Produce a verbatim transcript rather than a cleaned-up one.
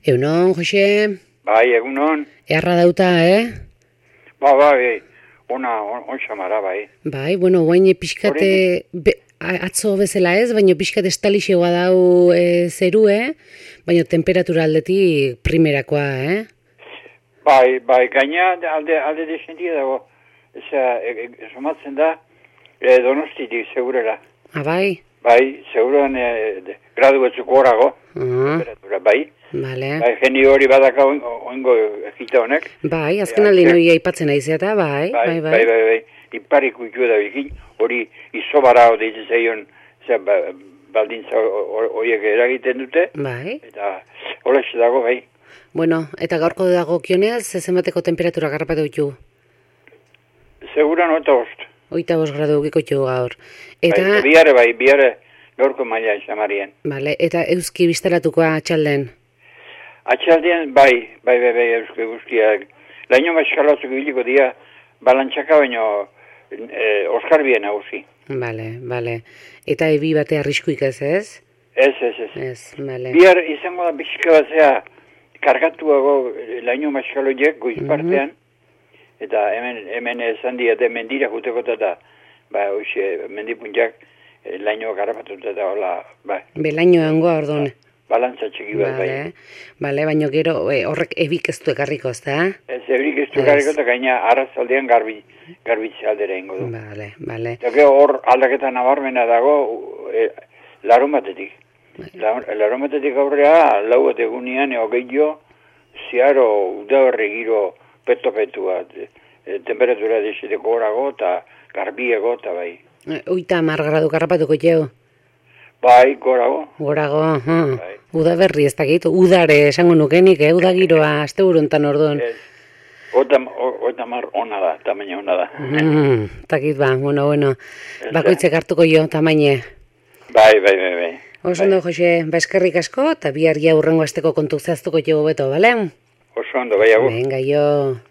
Egunon, Jose? Bai, egunon. Earra dauta, eh? Ba, bai, ona, on, on xamara, bai. Bai, bueno, guain pixkate, be, atzo bezala ez, baina pixkate estalixegoa dau e, zerue, baina temperatura aldetik primerakoa, eh? Bai, bai, gaina alde, alde desentia dago, eza, e, e, somatzen da, e, Donostitik, segurera. Ah, bai? Bai, seguran e, de, gradu batzuk horago, Ah, temperatura, bai. bale. Bai, jeni hori badaka oingo egita honek. Bai, azken aldi noi aipatzen aizeata, bai, Bai, bai, bai, bai, bai. Iparik ukiu da bikin, hori izobara deitzen zaion, zer, ba, baldintza horiek eragiten dute. Bai. Eta holaxe dago, bai. Bueno, eta gaurko dago kionez, zenbateko temperatura garrapatu ditu? Seguran oita bost. Oita bost gradu giko ditu gaur. Eta, Bai, biare bai, biare gaurko maila xamarien. bale, eta euski bizteratukoa atxalden? Atxaldean, bai, bai, bai, bai, euske guztiak. Laino maskalatzuk biliko dia, balantxaka baino e, Oskarbien nagusi. Bale, bale. Eta ebi bate arriskuik ez, ez? Ez, ez, ez. Ez, bale. Bihar izango da bizka batzea kargatuago laino maskaloiek goiz partean, eta hemen, hemen esan diate mendira juteko eta, ba, hoxe, mendipuntiak e, laino garrapatuta eta hola, ba, Belaino hangoa ordon. balantza txiki bat, bai. Bale, bale, baina gero e, horrek ebik ez du ekarriko, ez da? Ez, ebrik ez du garriko eta gaina arrazaldean garbi, garbitze aldera ingo du. Bale, bale. Eta gero hor aldaketa nabarmena dago e, larun batetik. Larun batetik aurrea, lau bat egunean, eo gehiago, ziaro udaberri giro peto-petu bat. E, temperatura deseteko horago eta garbiego eta bai. E, Oita hamar gradu garrapatuko jau. Bai, gorago. Gorago, uh. Bai. Uda berri ez dakit, udare esango nukenik, eh? Uda giroa, azte buruntan orduan. Ez, Oita, oita mar ona da, tamaina ona da. Mm, takit ba, bueno, bueno. Ez, Bakoitzek hartuko jo, tamaine. Bai, bai, bai, bai. Oso ondo, Jose, ba eskerrik asko, eta bihar ja urrengo asteko kontu zehaztuko jo beto, bale? Oso ondo, bai, agur. Venga, jo.